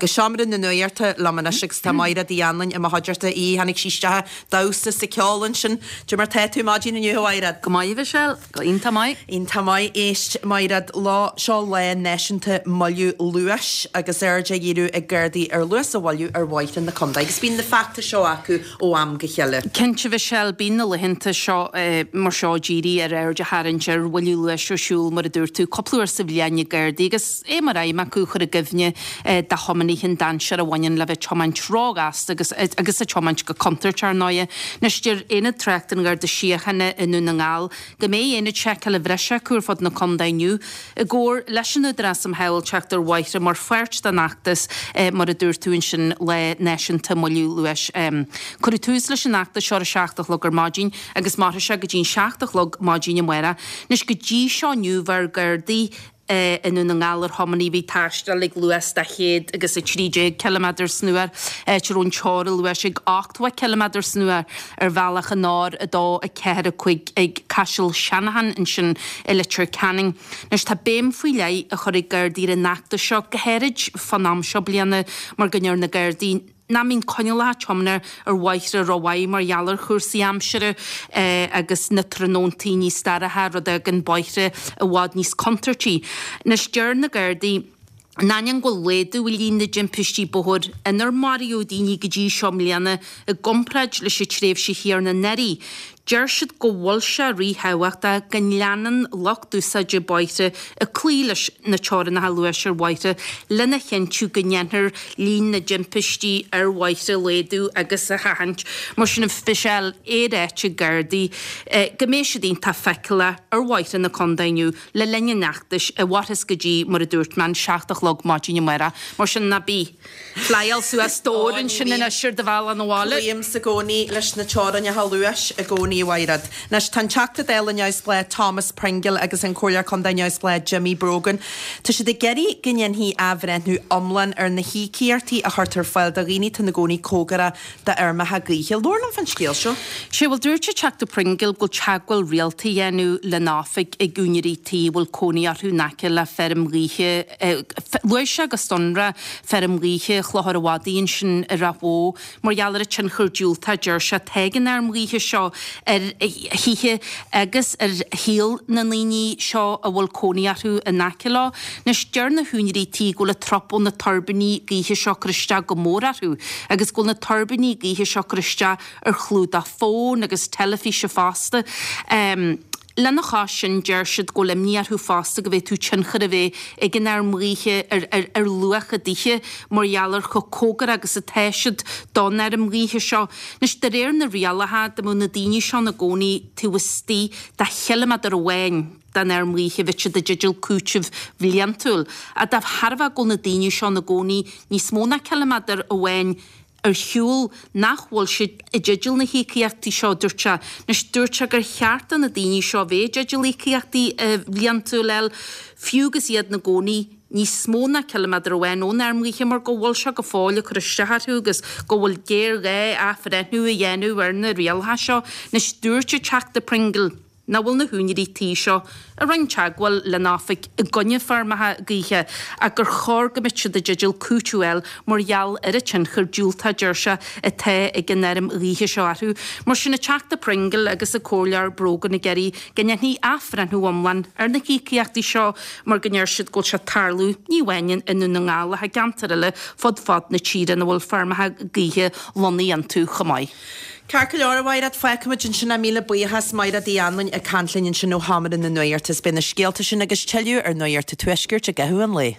Go Seomra na Nuachta liom anois agus tá Maighread Uí Anluain i mo chuideachta í. Tháinig sí isteach ag damhsa is ag ceol ansin. Cad é mar tá tú maidin inniu, a Mhaighread? Go maith, a Mhichelle. Go iontach maith. Iontach maith. Éist, Maighread, lá, seo lá náisiúnta moilliú luais agus aird á dhíriú ag Gardaí ar luas a mhoilliú ar bhóithre na contae. Agus bíonn na feachtais seo acu ó am go chéile. Cinnte, a Mhichelle, bíonn na laethanta seo mar seo dírithe ar aird a tharraingt ar mhoilliú luais ar siúl, mar a dúirt tú, cúpla uair sa bhliain ag Gardaí agus é mar aidhm acu chur i gcuimhne do thiománaithe an dainséar a bhaineann le bheith ag tiomáint róghasta agus agus ag tiomáint go contúirteach, ar ndóighe. Anois, deir Aonad Tráchta an Gharda Síochána i nDún na nGall go mbeidh aonaid seiceála bhreise acu ar fud na contae inniu i gcomhar leis an Údarás um Shábháilteacht ar Bhóithre mar pháirt den fheachtas, mar a dúirt tú ansin, Lá Náisiúnta Moilliú Luais. Cuireadh tús leis an fheachtas seo ar a 7 a chlog ar maidin agus mairfidh sé go dtí an 7 a chlog maidin amárach. Anois, go dtí seo inniu bheir Gardaí i nDún na nGall ar thiománaithe a bhí ag taisteal ag luas de 113 ciliméadar san uair, áit a raibh an teora luais ag 80 ciliméadar san uair ar bhealach an R2 4 5 ag Caiseal Shanahan ansin i Leitir Ceanainn. Anois tá béim faoi leith á chur ag Gardaí ar an fheachtas seo, go háirid fán am seo bliana mar go ndeir na Gardaí nach mbíonn coinníollacha tiomána ar bhóithre rómhaith mar gheall ar chúrsaí aimsire agus na tráthnóntaí níos dorcha, rud a fhágann bóithre i bhfad níos contúirtí. Anois deir na Gardaí, in ainneoin go bhfuil laghdú i líon na dtimpistí bóthair inar maraíodh daoine go dtí seo i mbliana i gcomparáid leis an tréimhse chéanna anuraidh, Deir siad go bhfuil sé ríthábhachtach go leanann lucht úsáide bóithre ag cloí leis na teorainneacha luais ar bhóithre lena chinntiú go ndéanfar líon na dtimpistí ar bhóithre a laghdú agus a sheachaint. Mar sin, a Mhichelle, é ráite ag Gardaí go mbeidh siad iontach feiceálach ar bhóithre na contae inniu le linn an fheachtais, a mhairfeas go dtí, mar a dúirt mé, an 7 a chlog maidin amárach. Mar sin, ná bí. Flyáil suas dobhar ansin anois ar do bhealach 'na bhaile. Cloímse i gcónaí leis na teorainneacha luais i gcónaí, a Mhaighread. Anois, tá an Teachta Dála neamhspleách Thomas Pringle agus an Comhairleoir Contae neamhspleách Jimmy Brogan, tá siad ag iarraidh go ndéanfaí athbhreithniú iomlán ar na híocaíochtaí a chuirtear ar fáil do dhaoine atá ina gcónaí cóngarach d'fheirmeacha gaoithe. Labhair liom fán scéal seo. Sea, bhuel dúirt an Teachta Pringle go bhfuil teagmháil rialta á dhéanamh lena oifig ag úinéirí tí a bhfuil cónaí orthu in aice le feirm ghaoithe. Luaigh sé go sonrach feirm ghaoithe Chlochar an Mhadaidh ansin i Ráth Bhoth mar gheall ar an tionchar diúltach, deir sé, atá ag an fheirm ghaoithe seo ar thithe agus ar shaol na ndaoine seo a bhfuil cónaí orthu in aice leo. Anois, deir na húinéirí tí go bhfuil an trup ó na tuirbíní gaoithe seo ag cur isteach go mór orthu agus go bhfuil na tuirbíní gaoithe seo ag cur isteach ar chlúdach fóin agus teilifíse fosta. Lena chois sin, deir siad go bhfuil imní orthu fosta go bhféadfadh tionchar a bheith ag an fheirm ghaoithe ar ar luach a dtithe mar gheall ar chomh cóngarach agus atá siad don fheirm ghaoithe seo. Anois, de réir na rialacha, dá mbeadh na daoine seo ina gcónaí taobh istigh de chiliméadar amháin den fheirm ghaoithe bheadh siad i dteideal cúiteamh bhliantúil. Ach de thairbhe go bhfuil na daoine seo ina gcónaí níos mó ná ciliméadar amháin ar shiúl nach bhfuil siad i dteideal na híocaíochtaí seo, dúirt sé. Anois, dúirt sé gur cheart do na daoine seo a bheith i dteideal íocaíochtaí bhliantúil a fháil, fiú agus iad ina gcónaí níos mó ná ciliméadar amháin ón fheirm ghaoithe mar go bhfuil sé go fóill ag cur isteach orthu agus go bhfuil géarghá athbhreithniú a dhéanamh ar na rialacha seo. Anois, dúirt an Teachta Pringle. nach bhfuil na húinéirí tí seo a rinne teagmháil lena oifig i gcoinne feirmeacha gaoithe ach gur chóir go mbeadh siad i dteideal cúiteamh a fháil mar gheall ar an tionchar diúltach, a deir sé, atá ag an fheirm ghaoithe seo orthu. Mar sin, an Teachta Pringle agus an Comhairleoir Brogan ag iarraidh go ndéanfaí athbhreithniú iomlán ar na híocaíochtaí seo mar go ndeir siad go bhfuil sé ag tarlú ní amháin i nDún na nGall ach i gceantair eile fud fad na tíre ina bhfuil feirmeacha gaoithe lonnaithe iontu chomh maith. Ceart go leor, a Mhaighread, fágfaimid ansin é. Míle buíochas, Maighread Uí Anluain ag caint linn ansin ó Sheomra na Nuachta. Is beidh na scéalta sin agus tuilleadh ar Nuacht an Tuaiscirt i gcaitheamh an lae.